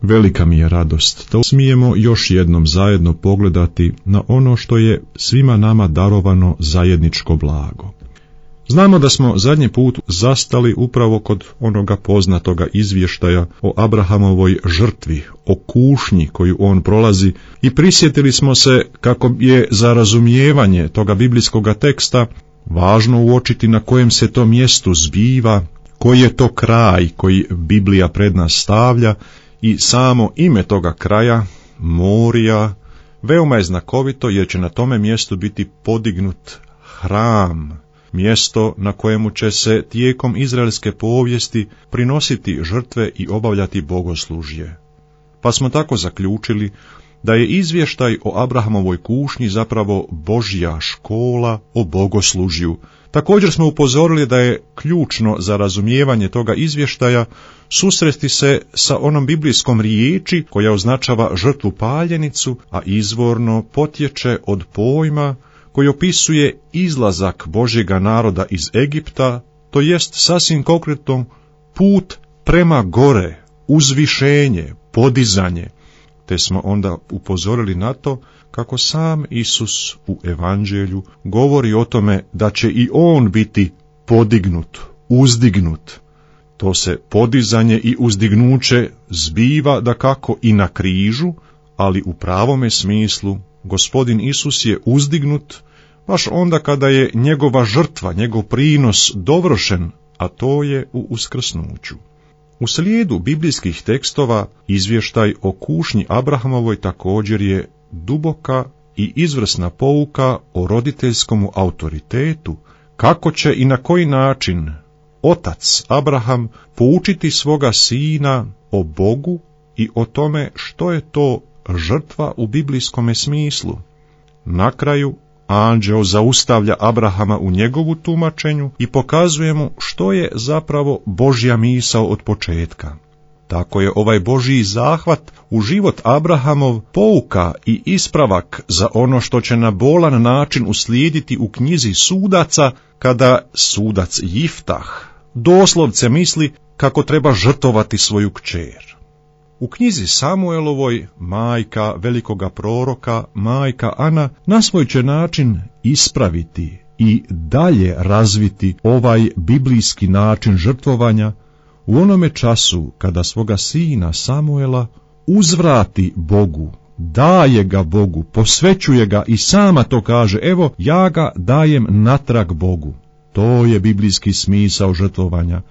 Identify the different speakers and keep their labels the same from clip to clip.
Speaker 1: Velika mi je radost da smijemo još jednom zajedno pogledati na ono što je svima nama darovano zajedničko blago. Znamo da smo zadnji put zastali upravo kod onoga poznatoga izvještaja o Abrahamovoj žrtvi, o kušnji koju on prolazi, i prisjetili smo se kako je za razumijevanje toga biblijskoga teksta važno uočiti na kojem se to mjestu zbiva, koji je to kraj koji Biblija pred nas stavlja, i samo ime toga kraja, Morija, veoma je znakovito jer će na tome mjestu biti podignut hram, mjesto na kojemu će se tijekom izraelske povijesti prinositi žrtve i obavljati bogoslužje. Pa smo tako zaključili da je izvještaj o Abrahamovoj kušnji zapravo Božja škola o bogoslužju. Također smo upozorili da je ključno za razumijevanje toga izvještaja susresti se sa onom biblijskom riječi koja označava žrtvu paljenicu, a izvorno potječe od pojma koji opisuje izlazak Božjega naroda iz Egipta, to jest sasvim konkretno put prema gore, uzvišenje, podizanje, te smo onda upozorili na to kako sam Isus u evanđelju govori o tome da će i on biti podignut, uzdignut. To se podizanje i uzdignuće zbiva dakako i na križu, ali u pravome smislu Gospodin Isus je uzdignut baš onda kada je njegova žrtva, njegov prinos dovršen, a to je u uskrsnuću. U slijedu biblijskih tekstova izvještaj o kušnji Abrahamovoj također je duboka i izvrsna pouka o roditeljskom autoritetu, kako će i na koji način otac Abraham poučiti svoga sina o Bogu i o tome što je to žrtva u biblijskome smislu. Na kraju anđeo zaustavlja Abrahama u njegovu tumačenju i pokazuje mu što je zapravo Božja misao od početka. Tako je ovaj Božji zahvat u život Abrahamov pouka i ispravak za ono što će na bolan način uslijediti u knjizi Sudaca, kada sudac Jiftah doslovce misli kako treba žrtvovati svoju kćer. U knjizi Samuelovoj majka velikoga proroka, majka Ana, na svoj će način ispraviti i dalje razviti ovaj biblijski način žrtvovanja u onome času kada svoga sina Samuela uzvrati Bogu, daje ga Bogu, posvećuje ga i sama to kaže, evo ja ga dajem natrag Bogu. To je biblijski smisao žrtvovanja.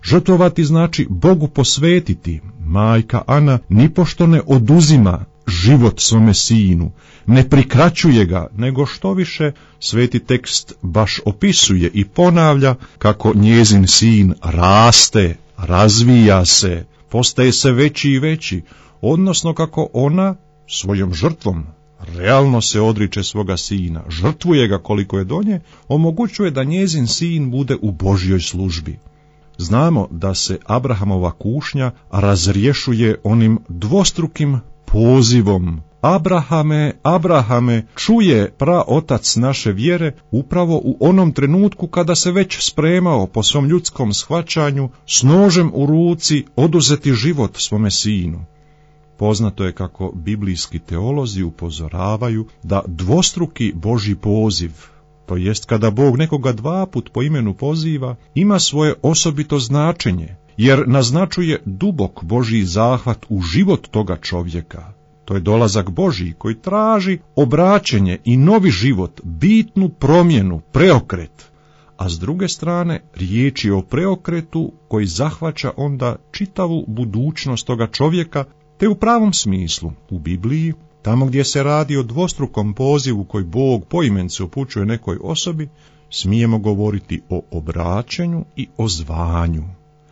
Speaker 1: Žrtvovati znači Bogu posvetiti. Majka Ana nipošto ne oduzima život svome sinu, ne prikraćuje ga, nego što više sveti tekst baš opisuje i ponavlja kako njezin sin raste, razvija se, postaje se veći i veći, odnosno kako ona svojom žrtvom realno se odriče svoga sina, žrtvuje ga koliko je do nje, omogućuje da njezin sin bude u Božjoj službi. Znamo da se Abrahamova kušnja razrješuje onim dvostrukim pozivom. Abrahame, Abrahame, čuje praotac naše vjere upravo u onom trenutku kada se već spremao po svom ljudskom shvaćanju s nožem u ruci oduzeti život svome sinu. Poznato je kako biblijski teolozi upozoravaju da dvostruki Božji poziv, to jest kada Bog nekoga dva put po imenu poziva, ima svoje osobito značenje, jer naznačuje dubok Božji zahvat u život toga čovjeka. To je dolazak Božji koji traži obraćenje i novi život, bitnu promjenu, preokret. A s druge strane, riječ je o preokretu koji zahvaća onda čitavu budućnost toga čovjeka, te u pravom smislu u Bibliji, tamo gdje se radi o dvostrukom pozivu koji Bog poimence upućuje nekoj osobi, smijemo govoriti o obraćanju i o zvanju.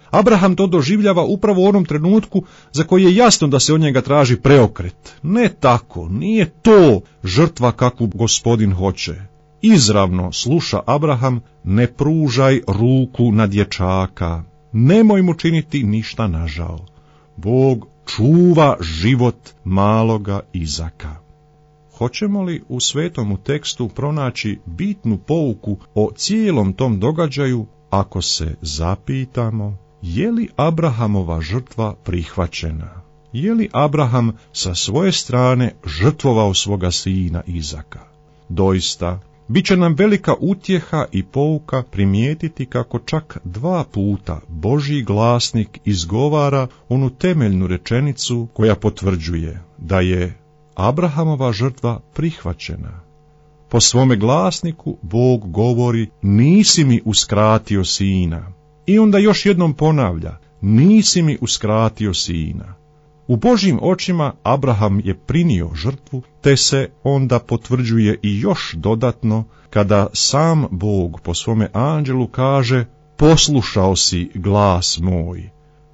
Speaker 1: Abraham to doživljava upravo u onom trenutku za koji je jasno da se od njega traži preokret. Ne tako, nije to žrtva kakvu Gospodin hoće. Izravno sluša Abraham, ne pružaj ruku na dječaka, nemoj mu činiti ništa nažao. Bog čuva život maloga Izaka. Hoćemo li u svetomu tekstu pronaći bitnu pouku o cijelom tom događaju ako se zapitamo je li Abrahamova žrtva prihvaćena? je li Abraham sa svoje strane žrtvovao svoga sina Izaka. Doista, bit će nam velika utjeha i pouka primijetiti kako čak 2 puta Božji glasnik izgovara onu temeljnu rečenicu koja potvrđuje da je Abrahamova žrtva prihvaćena. Po svome glasniku Bog govori: nisi mi uskratio sina. I onda još jednom ponavlja: nisi mi uskratio sina. U Božjim očima Abraham je prinio žrtvu, te se onda potvrđuje i još dodatno kada sam Bog po svome anđelu kaže: poslušao si glas moj.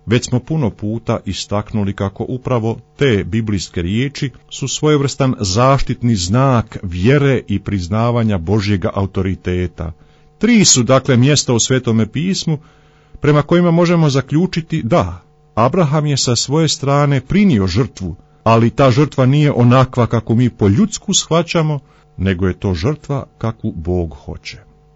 Speaker 1: Već smo puno puta istaknuli kako upravo te biblijske riječi su svojevrstan zaštitni znak vjere i priznavanja Božjega autoriteta. 3 su dakle mjesta u Svetome pismu prema kojima možemo zaključiti da Abraham je sa svoje strane prinio žrtvu, ali ta žrtva nije onakva kako mi po ljudsku shvaćamo, nego je to žrtva kakvu Bog hoće.